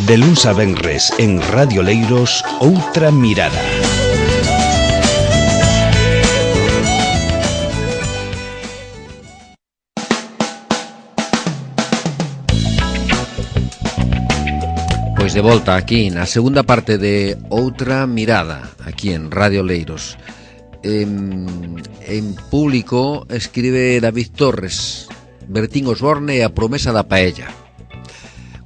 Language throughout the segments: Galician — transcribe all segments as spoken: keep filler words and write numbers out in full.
De luns a venres en Radio Leiros, Outra Mirada. Pois de volta aquí na segunda parte de Outra Mirada, aquí en Radio Leiros. En, en Público escribe David Torres, Bertín Osborne e a promesa da paella.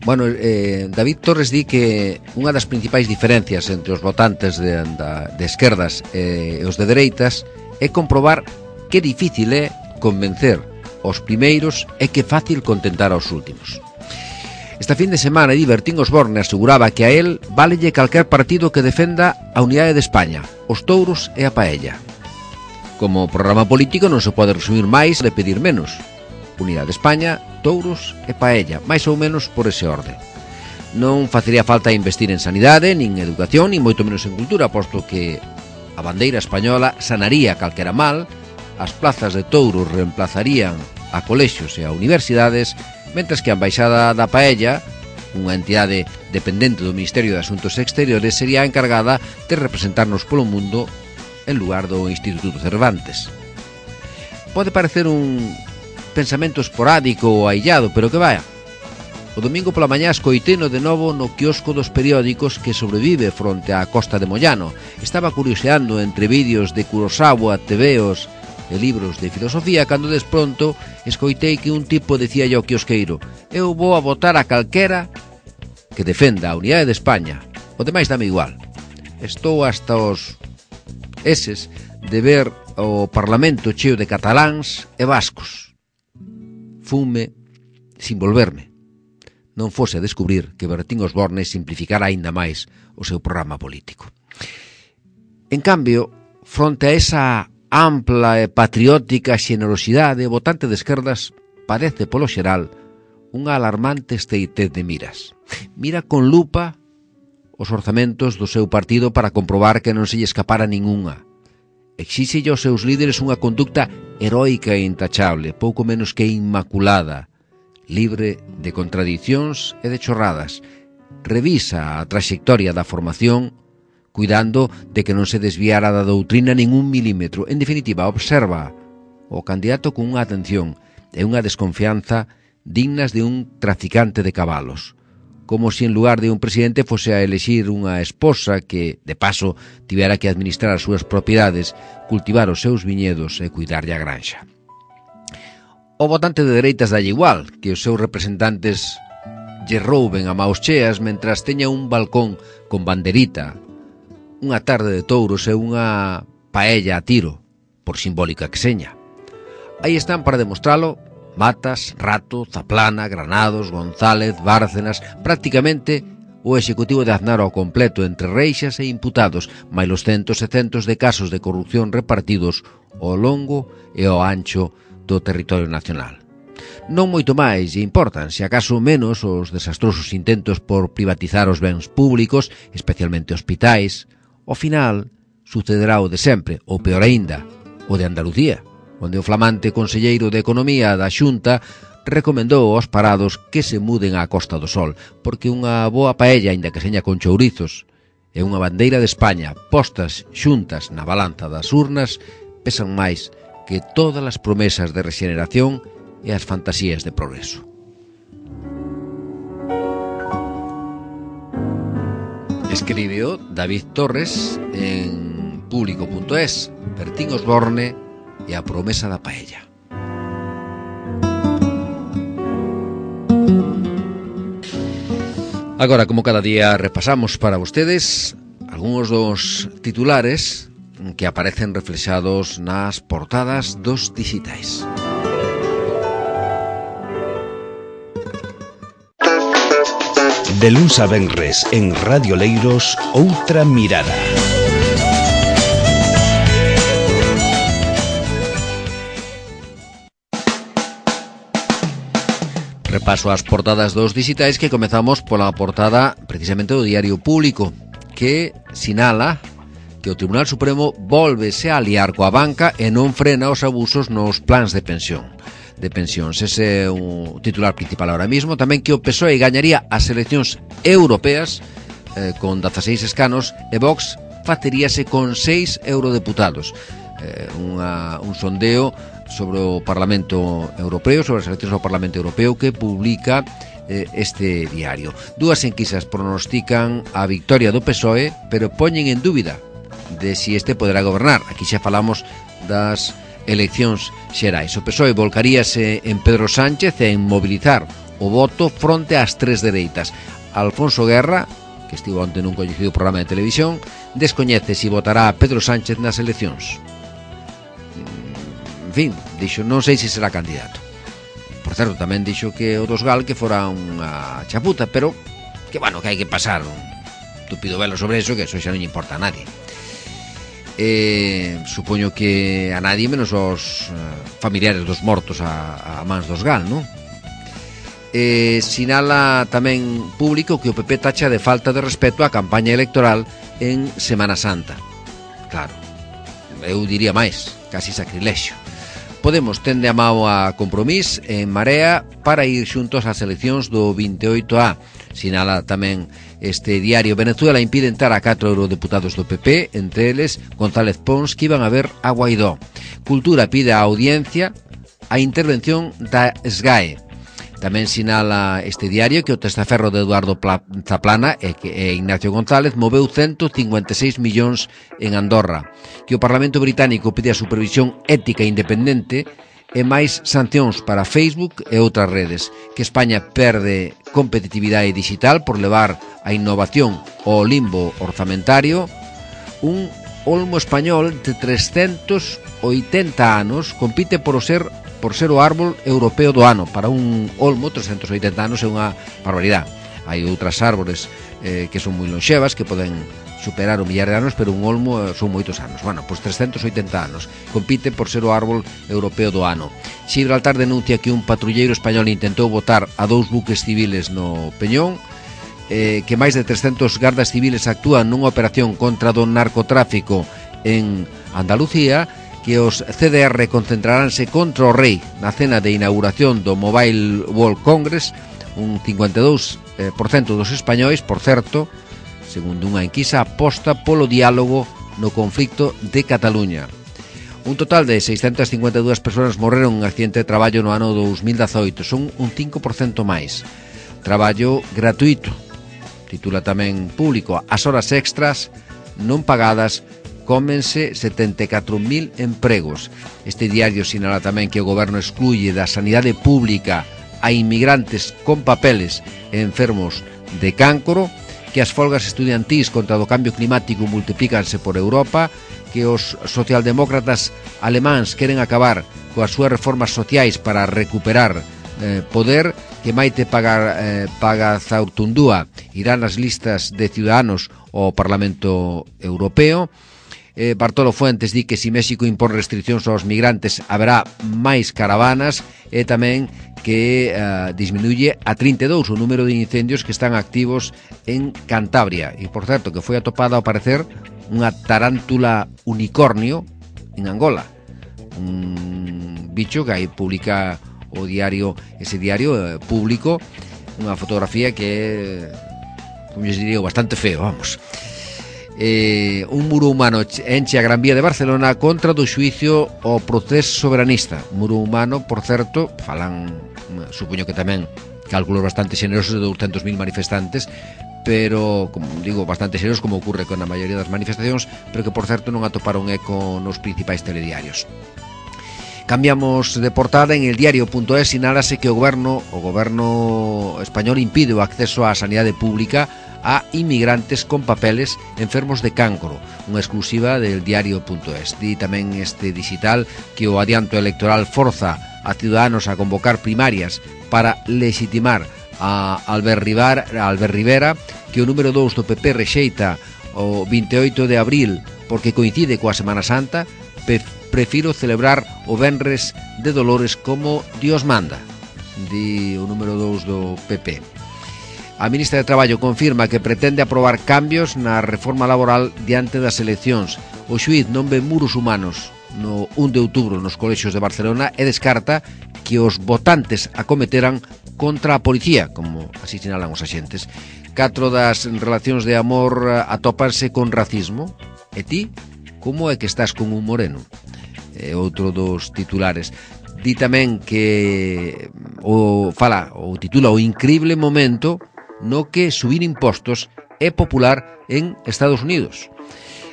Bueno, eh, David Torres di que unha das principais diferencias entre os votantes de, de esquerdas e os de dereitas é comprobar que difícil é convencer os primeiros e que fácil contentar aos últimos. Esta fin de semana, Bertín Osborne aseguraba que a él válelle calquer partido que defenda a unidade de España, os touros e a paella. Como programa político non se pode resumir máis e pedir menos. Unidade de España, touros e paella, máis ou menos por ese orde. Non facería falta investir en sanidade, nin educación, nin moito menos en cultura, posto que a bandeira española sanaría calquera mal, as plazas de touros reemplazarían a colexios e a universidades, mentres que a Embaixada da Paella, unha entidade dependente do Ministerio de Asuntos Exteriores, sería a encargada de representarnos polo mundo en lugar do Instituto Cervantes. Pode parecer un pensamento esporádico ou aillado, pero que vaya. O domingo pola mañá escoiteno de novo no quiosco dos periódicos que sobrevive fronte á Costa de Mollano. Estaba curioseando entre vídeos de Kurosawa, tebeos e libros de filosofía, cando despronto escoitei que un tipo decía ao quiosqueiro: eu vou a votar a calquera que defenda a unidade de España, o demais dame igual. Estou hasta os eses de ver o Parlamento cheo de cataláns e vascos. Fume sin volverme. Non fose a descubrir que Bertín Osborne simplificara aínda máis o seu programa político. En cambio, fronte a esa ampla e patriótica xenerosidade, o votante de esquerdas padece polo xeral unha alarmante estreitez de miras. Mira con lupa os orzamentos do seu partido para comprobar que non se lle escapara ningunha. Exíxelle aos seus líderes unha conducta heroica e intachable, pouco menos que inmaculada, libre de contradicións e de chorradas. Revisa a traxectoria da formación, cuidando de que non se desviara da doutrina nin un milímetro. En definitiva, observa o candidato con unha atención e unha desconfianza dignas de un traficante de cabalos, como se en lugar de un presidente fose a elexir unha esposa que, de paso, tivera que administrar as súas propiedades, cultivar os seus viñedos e cuidarlle a granxa. O votante de dereitas dalle igual que os seus representantes lle rouben a maos cheas mentras teña un balcón con banderita, unha tarde de touros e unha paella a tiro, por simbólica que seña. Aí están para demostralo Matas, Rato, Zaplana, Granados, González, Bárcenas, prácticamente o executivo de Aznar ao completo entre reixas e imputados, máis os centos e centos de casos de corrupción repartidos ao longo e ao ancho do territorio nacional. Non moito máis lle importan, se acaso menos, os desastrosos intentos por privatizar os bens públicos, especialmente hospitais. Ao final, sucederá o de sempre, ou peor aínda, o de Andalucía, onde o flamante conselleiro de Economía da Xunta recomendou aos parados que se muden á Costa do Sol, porque unha boa paella, aínda que seña con chourizos, e unha bandeira de España postas xuntas na balanza das urnas pesan máis que todas as promesas de rexeneración e as fantasías de progreso. Escribió David Torres en Público punto es, Bertín Osborne e a promesa da paella. Agora, como cada día, repasamos para vostedes algúns dos titulares que aparecen reflexados nas portadas dos digitais. De luns a venres en Radio Leiros, Outra Mirada. Repaso as portadas dos digitais, que comezamos pola portada precisamente do Diario Público, que sinala que o Tribunal Supremo volvese a aliar coa banca e non frena os abusos nos plans de pensión. de pensións. Ese é o titular principal ahora mismo. Tamén que o P S O E gañaría as eleccións europeas eh, con dezaseis escanos e Vox faceríase con seis eurodeputados. Eh, unha, un sondeo sobre o Parlamento Europeo, sobre as eleccións ao Parlamento Europeo que publica eh, este diario. Dúas enquisas pronostican a victoria do P S O E, pero poñen en dúbida de si este poderá gobernar. Aquí xa falamos das eleccións xerais. O P S O E volcaríase en Pedro Sánchez e en mobilizar o voto fronte ás tres dereitas. Alfonso Guerra, que estivo onte nun coñecido programa de televisión, descoñece si votará a Pedro Sánchez nas eleccións. En fin, dixo, non sei se será candidato. Por certo, tamén dixo que o dos Gal que fora unha chaputa, pero que, bueno, que hai que pasar un tupido velo sobre eso, que eso xa non lle importa a nadie. Eh, supoño que a nadie menos os uh, familiares dos mortos a, a mans dos Gal, non? Eh, sinala tamén público que o P P tacha de falta de respeto á campaña electoral en Semana Santa. Claro, eu diría máis, casi sacrilexio. Podemos tende a mao a Compromís en Marea para ir xuntos ás eleccións do veintioito A. Sinala tamén este diario: Venezuela impide entrar a catro eurodeputados do P P, entre eles González Pons, que iban a ver a Guaidó. Cultura pide a audiencia a intervención da S G A E. Tamén sinala este diario que o testaferro de Eduardo Zaplana e, que, e Ignacio González moveu ciento cincuenta e seis millóns en Andorra, que o Parlamento Británico pide a supervisión ética independente e máis sancións para Facebook e outras redes, que España perde competitividade digital por levar a innovación ao limbo orzamentario. Un olmo español de trescentos oitenta anos compite por ser por ser o árbol europeo do ano. Para un olmo, trescentos oitenta anos é unha barbaridade. Hai outras árbores eh, que son moi lonxevas, que poden superar o millar de anos, pero un olmo eh, son moitos anos. Bueno, pois trescentos oitenta anos. Compite por ser o árbol europeo do ano. Gibraltar denuncia que un patrulleiro español intentou botar a dous buques civiles no Peñón, eh, que máis de trescentos gardas civiles actúan nunha operación contra do narcotráfico en Andalucía, que os C D R concentraránse contra o rei na cena de inauguración do Mobile World Congress. Un cincuenta e dous por cento dos españois, por certo, segundo unha enquisa, aposta polo diálogo no conflicto de Cataluña. Un total de seiscentas cincuenta e dúas persoas morreron en accidente de traballo no ano dos mil dezoito. Son un cinco por cento máis. Traballo gratuito, titula tamén Público. As horas extras non pagadas cómense setenta e catro mil empregos. Este diario sinala tamén que o goberno excluye da sanidade pública a inmigrantes con papeles e enfermos de cáncoro, que as folgas estudiantís contra o cambio climático multiplícanse por Europa, que os socialdemócratas alemáns queren acabar coas súas reformas sociais para recuperar eh, poder, que Maite Paga, eh, Pagazaurtundúa irá nas listas de ciudadanos ao Parlamento Europeo. Eh, Bartolo Fuentes di que se México impón restriccións aos migrantes haberá máis caravanas, e tamén que uh, disminuye a trinta e dous o número de incendios que están activos en Cantabria. E, por certo, que foi atopada ao parecer unha tarántula unicornio en Angola, un bicho que aí publica o diario, ese diario eh, público, unha fotografía que é, como yo diría, bastante feo, vamos. Eh, un muro humano enche a Gran Vía de Barcelona contra do xuicio ao proceso soberanista. Muro humano, por certo, falan, supoño que tamén cálculos bastante xenerosos de douscentos mil manifestantes, pero, como digo, bastante xenerosos, como ocurre con a maioría das manifestacións, pero que, por certo, non atoparon eco nos principais telediarios. Cambiamos de portada. En el diario.es sinálase que o goberno o goberno español impide o acceso á sanidade pública a inmigrantes con papeles enfermos de cáncoro, unha exclusiva del diario.es. Di tamén este digital que o adianto electoral forza a ciudadanos a convocar primarias para legitimar a Albert Rivera, a Albert Rivera, que o número dous do P P rexeita o veintioito de abril porque coincide coa Semana Santa. Prefiro celebrar o Venres de Dolores como Dios manda, di o número dous do P P. A ministra de Traballo confirma que pretende aprobar cambios na reforma laboral diante das eleccións. O xuíz non ve muros humanos no un de outubro nos colexios de Barcelona e descarta que os votantes acometeran contra a policía, como así sinalan os axentes. Catro das relacións de amor atópanse con racismo. E ti, como é que estás con un moreno? É outro dos titulares. Di tamén que o fala, o titula o incrible momento no que subir impostos é popular en Estados Unidos.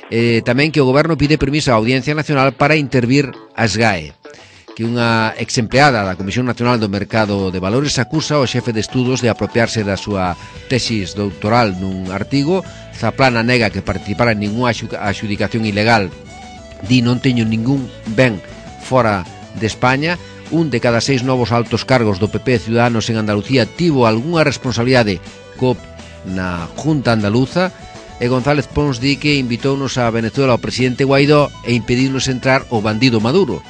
Eh, tamén que o goberno pide permiso á Audiencia Nacional para intervir a SGAE, que unha exempleada da Comisión Nacional do Mercado de Valores acusa o xefe de estudos de apropiarse da súa tesis doutoral nun artigo. Zaplana nega que participara en ninguna adxudicación ilegal. Di non teño ningún ben fora de España. Un de cada seis novos altos cargos do P P Ciudadanos en Andalucía tivo algunha responsabilidade co na Junta Andaluza. E González Pons di que invitounos a Venezuela ao presidente Guaidó e impediunos entrar o bandido Maduro.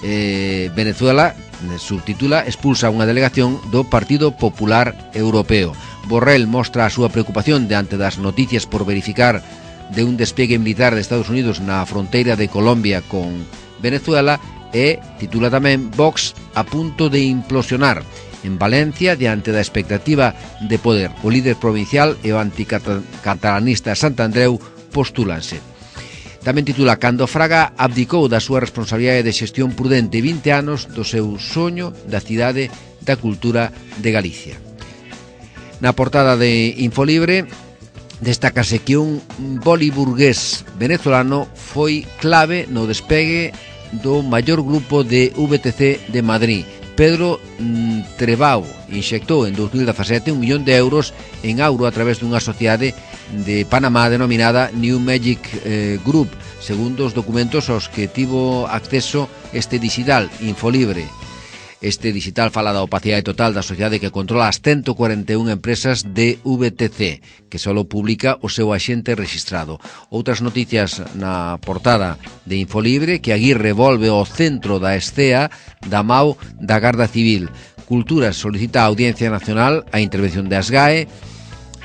Eh, Venezuela, subtitula, expulsa unha delegación do Partido Popular Europeo. Borrell mostra a súa preocupación diante das noticias por verificar de un despliegue militar de Estados Unidos na fronteira de Colombia con Venezuela e titula tamén Vox a punto de implosionar. En Valencia, diante da expectativa de poder, o líder provincial e o anticatalanista Santandreu postúlanse. Tamén titula Cando Fraga abdicou da súa responsabilidade de xestión prudente vinte anos do seu soño da cidade da cultura de Galicia. Na portada de Infolibre destácase que un boliburgués venezolano foi clave no despegue do maior grupo de V T C de Madrid. Pedro Trebao inxectou en dos mil dezasete un millón de euros en auro a través dunha sociedade de Panamá denominada New Magic eh, Group, segundo os documentos aos que tivo acceso este digital Infolibre. Este digital fala da opacidade total da sociedade que controla as ciento cuarenta e un empresas de V T C, que só publica o seu axente registrado. Outras noticias na portada de Infolibre, que Aguirre volve ao centro da escea da M A U da Garda Civil. Cultura solicita a Audiencia Nacional a intervención de SGAE.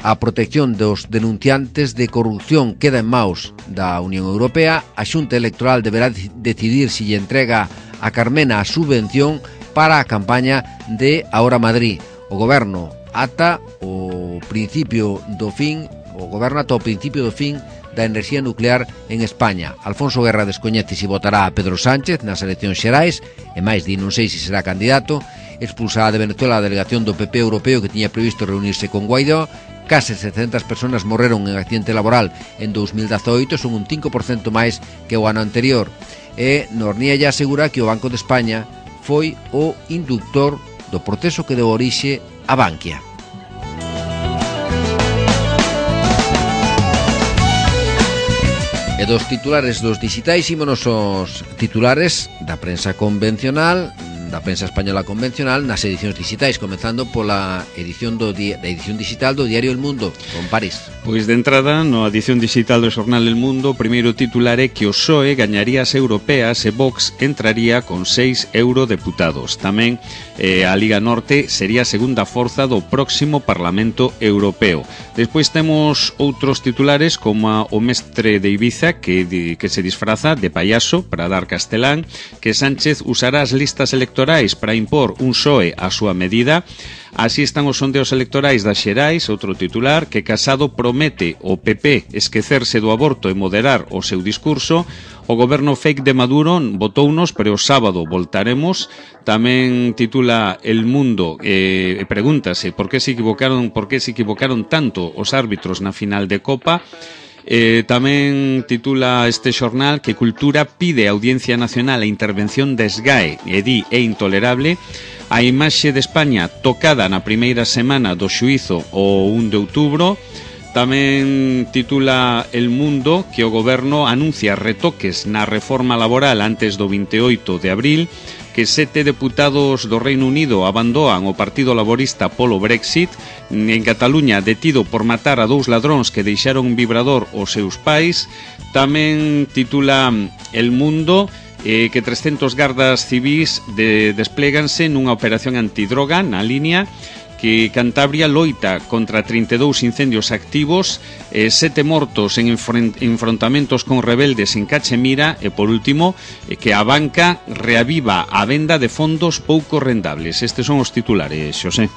A protección dos denunciantes de corrupción queda en maus da Unión Europea. A Xunta Electoral deberá decidir se lle entrega a Carmena a subvención para a campaña de Ahora Madrid. O goberno ata o principio do fin, o goberno ata o principio do fin da enerxía nuclear en España. Alfonso Guerra descoñece se votará a Pedro Sánchez nas eleccións xerais, e máis di non sei se será candidato. Expulsada de Venezuela a delegación do P P europeo que tiña previsto reunirse con Guaidó. Case setecentas persoas morreron en accidente laboral en dos mil dezoito, son un cinco por cento máis que o ano anterior. E Norniella asegura que o Banco de España foi o inductor do proceso que deu orixe a Bankia. E dos titulares dos digitais ímonos aos titulares da prensa convencional, da prensa española convencional, nas edicións digitais, comenzando pola edición do di- da edición digital do diario El Mundo, con París. Pois de entrada, na edición digital do xornal El Mundo, o primeiro titular é que o P S O E gañaría as europeas e Vox entraría con seis eurodeputados. Tamén eh, a Liga Norte sería a segunda forza do próximo Parlamento Europeo. Despois temos outros titulares como o mestre de Ibiza que, que se disfraza de payaso para dar castelán, que Sánchez usará as listas electorais para impor un P S O E a súa medida. Así están os sondeos electorais das xerais, outro titular, que Casado promete o P P esquecerse do aborto e moderar o seu discurso. O goberno fake de Maduro votounos, pero o sábado voltaremos. Tamén titula El Mundo e eh, pregúntase por que se equivocaron, por que se equivocaron tanto os árbitros na final de Copa. Eh, tamén titula este xornal que Cultura pide a Audiencia Nacional a intervención de SGAE e di é intolerable. A imaxe de España tocada na primeira semana do xuízo o un de outubro. Tamén titula El Mundo que o goberno anuncia retoques na reforma laboral antes do vinte e oito de abril, que sete deputados do Reino Unido abandoan o Partido Laborista polo Brexit. En Cataluña, detido por matar a dous ladróns que deixaron un vibrador aos seus pais. Tamén titula El Mundo eh, que trescentos gardas civis de, despléganse nunha operación antidroga na línea. que Cantabria loita contra trinta e dous incendios activos, eh, sete mortos en enfrontamentos con rebeldes en Cachemira e, por último, eh, que a banca reaviva a venda de fondos pouco rendables. Estes son os titulares, Xosé.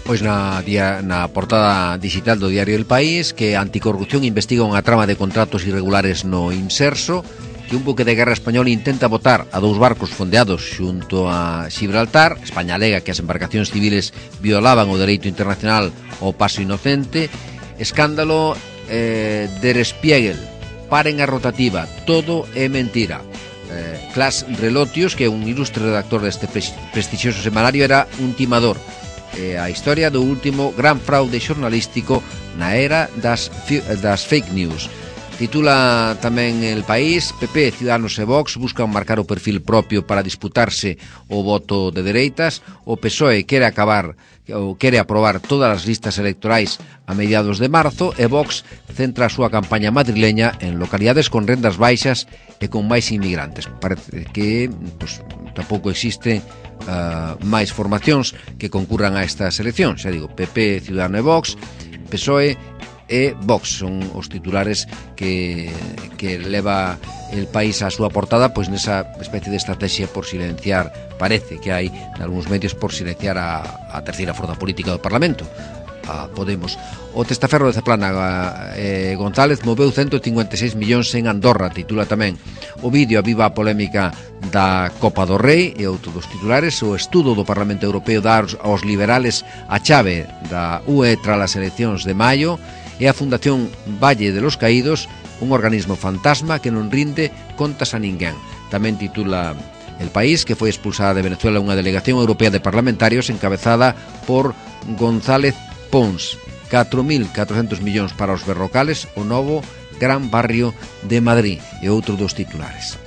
Pois na, dia, na portada digital do diario El País, que Anticorrupción investiga unha trama de contratos irregulares no Inserso, que un buque de guerra español intenta botar a dous barcos fondeados xunto a Gibraltar. España alega que as embarcacións civiles violaban o dereito internacional ao paso inocente. Escándalo eh, Der Spiegel, paren a rotativa, todo é mentira. eh, Clas Relotius, que é un ilustre redactor deste prestixioso semanario, era un timador. eh, A historia do último gran fraude xornalístico na era das, das fake news. Titula tamén El País: P P, Ciudadanos e Vox buscan marcar o perfil propio para disputarse o voto de dereitas. O P S O E quere acabar ou quere aprobar todas as listas electorais a mediados de marzo, e Vox centra a súa campaña madrileña en localidades con rendas baixas e con máis inmigrantes. Parece que pues, tampouco existen uh, máis formacións que concurran a estas eleccións. Xa digo, P P, Ciudadanos e Vox, P S O E e Vox son os titulares que, que leva El País a súa portada, pois nesa especie de estrategia por silenciar, parece que hai nalgúns medios, por silenciar a, a terceira forza política do Parlamento, a Podemos. O testaferro de Zaplana, eh, González, moveu ciento cincuenta e seis millóns en Andorra, titula tamén. O vídeo aviva a polémica da Copa do Rei e outro dos titulares. O estudo do Parlamento Europeo dá aos liberales a chave da U E tras as eleccións de maio, e a Fundación Valle de los Caídos, un organismo fantasma que non rinde contas a ninguén. Tamén titula El País que foi expulsada de Venezuela unha delegación europea de parlamentarios encabezada por González Pons. catro mil catrocentos millóns para os berrocales, o novo gran barrio de Madrid, e outro dos titulares.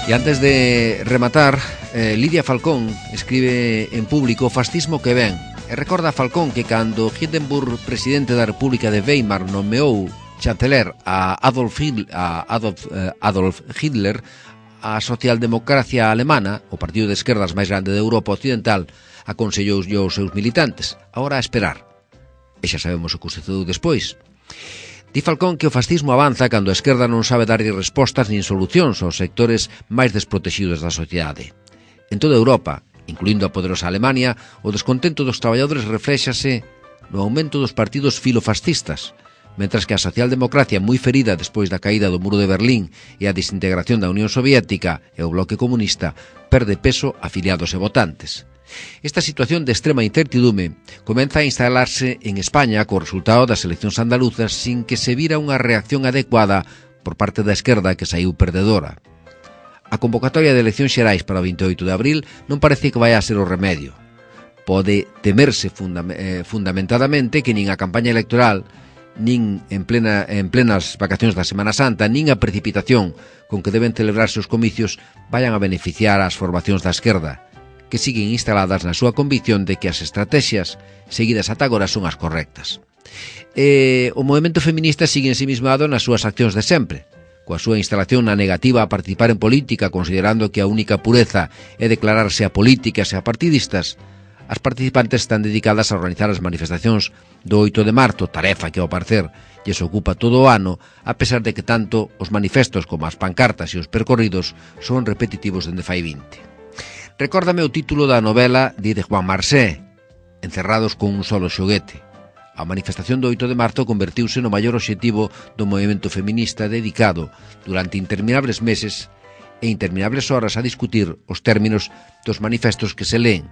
E antes de rematar, eh, Lidia Falcón escribe en Público: fascismo que ven. E recorda a Falcón que cando Hindenburg, presidente da República de Weimar, nomeou chanceler a Adolf Hitler, a Adolf, eh, Adolf Hitler, a socialdemocracia alemana, o partido de esquerdas máis grande de Europa Occidental, aconsellou aos seus militantes: agora a esperar. E xa sabemos o que sucedeu despois. Di Falcón que o fascismo avanza cando a esquerda non sabe darlle respostas nin solucións aos sectores máis desprotegidos da sociedade. En toda Europa, incluindo a poderosa Alemania, o descontento dos traballadores refléxase no aumento dos partidos filofascistas, mentras que a socialdemocracia, moi ferida despois da caída do muro de Berlín e a desintegración da Unión Soviética e o bloque comunista, perde peso afiliados e votantes. Esta situación de extrema incertidume comeza a instalarse en España co resultado das eleccións andaluzas sin que se vira unha reacción adecuada por parte da esquerda, que saiu perdedora. A convocatoria de eleccións xerais para o veintioito de abril non parece que vai a ser o remedio. Pode temerse fundam eh, fundamentadamente que nin a campaña electoral, nin en, plena, en plenas vacacións da Semana Santa, nin a precipitación con que deben celebrarse os comicios vayan a beneficiar as formacións da esquerda, que siguen instaladas na súa convicción de que as estrategias seguidas ata agora son as correctas. E o movemento feminista sigue ensimismado nas súas accións de sempre, coa súa instalación na negativa a participar en política, considerando que a única pureza é declararse apolíticas e apartidistas. As participantes están dedicadas a organizar as manifestacións do oito de marzo, tarefa que, ao parecer, lles ocupa todo o ano, a pesar de que tanto os manifestos como as pancartas e os percorridos son repetitivos dende fai vinte. Recórdame o título da novela de Juan Marsé, Encerrados con un solo xoguete. A manifestación do oito de marzo convertiuse no maior obxectivo do movemento feminista, dedicado durante interminables meses e interminables horas a discutir os términos dos manifestos que se leen,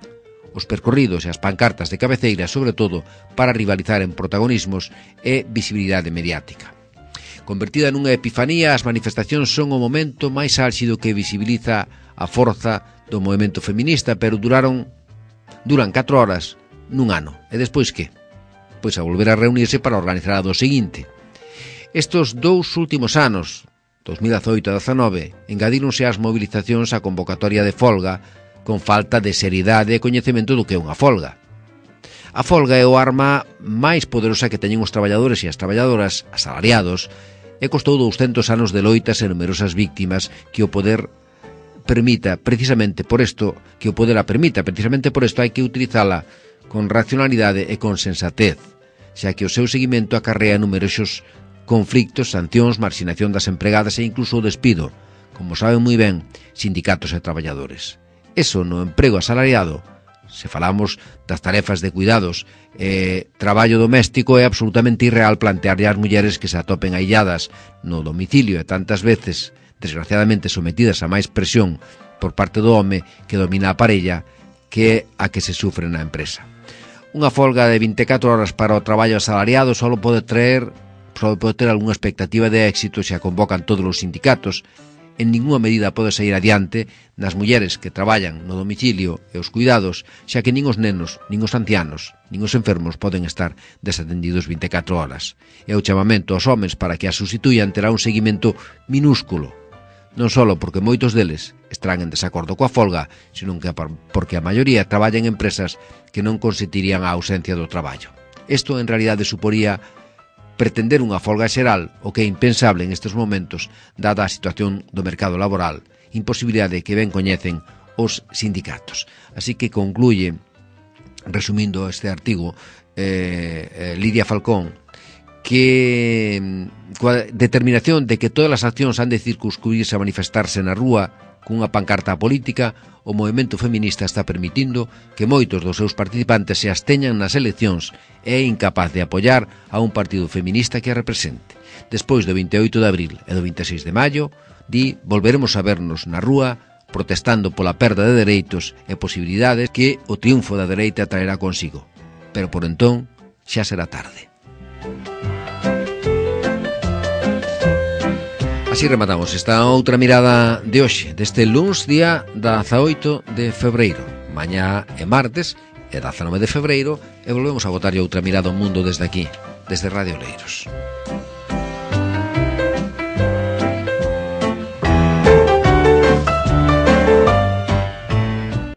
os percorridos e as pancartas de cabeceira, sobre todo para rivalizar en protagonismos e visibilidade mediática. Convertida nunha epifanía, as manifestacións son o momento máis álxido que visibiliza a forza do movemento feminista, pero duraron duran catro horas nun ano. E despois que? Pois a volver a reunirse para organizar a do seguinte. Estos dous últimos anos, dos mil dezoito e dezanove, engadíronse ás movilizacións a convocatoria de folga con falta de seriedade e coñecemento do que é unha folga. A folga é o arma máis poderosa que teñen os traballadores e as traballadoras asalariados e costou douscentos anos de loitas e numerosas víctimas que o poder permita, precisamente por isto, que o poder a permita, precisamente por isto hai que utilizala con racionalidade e con sensatez, xa que o seu seguimento acarrea numerosos conflictos, sancións, marxinación das empregadas e incluso o despido, como saben moi ben sindicatos e traballadores. Eso no emprego asalariado, se falamos das tarefas de cuidados e traballo doméstico, é absolutamente irreal plantearlle ás mulleres que se atopen ailladas no domicilio e tantas veces, desgraciadamente, sometidas a máis presión por parte do home que domina a parella que a que se sufre na empresa. Unha folga de vinte e catro horas para o traballo asalariado só pode traer, só pode ter algunha expectativa de éxito se a convocan todos os sindicatos. En ninguna medida pode sair adiante nas mulleres que traballan no domicilio e os cuidados, xa que nin os nenos, nin os ancianos, nin os enfermos poden estar desatendidos vinte e catro horas. E o chamamento aos homes para que a sustituyan terá un seguimento minúsculo, non só porque moitos deles estarán en desacordo coa folga, senón que porque a maioría traballa en empresas que non consentirían a ausencia do traballo. Isto en realidade suporía pretender unha folga xeral, o que é impensable en estes momentos, dada a situación do mercado laboral, imposibilidade que ben coñecen os sindicatos. Así que concluye, resumindo este artigo, eh, eh, Lidia Falcón, que coa determinación de que todas as accións han de circunscribirse a manifestarse na rúa cunha pancarta política, o movemento feminista está permitindo que moitos dos seus participantes se absteñan nas eleccións e é incapaz de apoiar a un partido feminista que a represente. Despois do vinte e oito de abril e do vinte e seis de maio, di, volveremos a vernos na rúa protestando pola perda de dereitos e posibilidades que o triunfo da dereita traerá consigo. Pero por entón xa será tarde. Así rematamos esta outra mirada de hoxe, deste luns día dezaoito de febreiro. Mañá é martes, é dezanove de febreiro, e volvemos a botarlle outra mirada ao mundo desde aquí, desde Radio Leiros.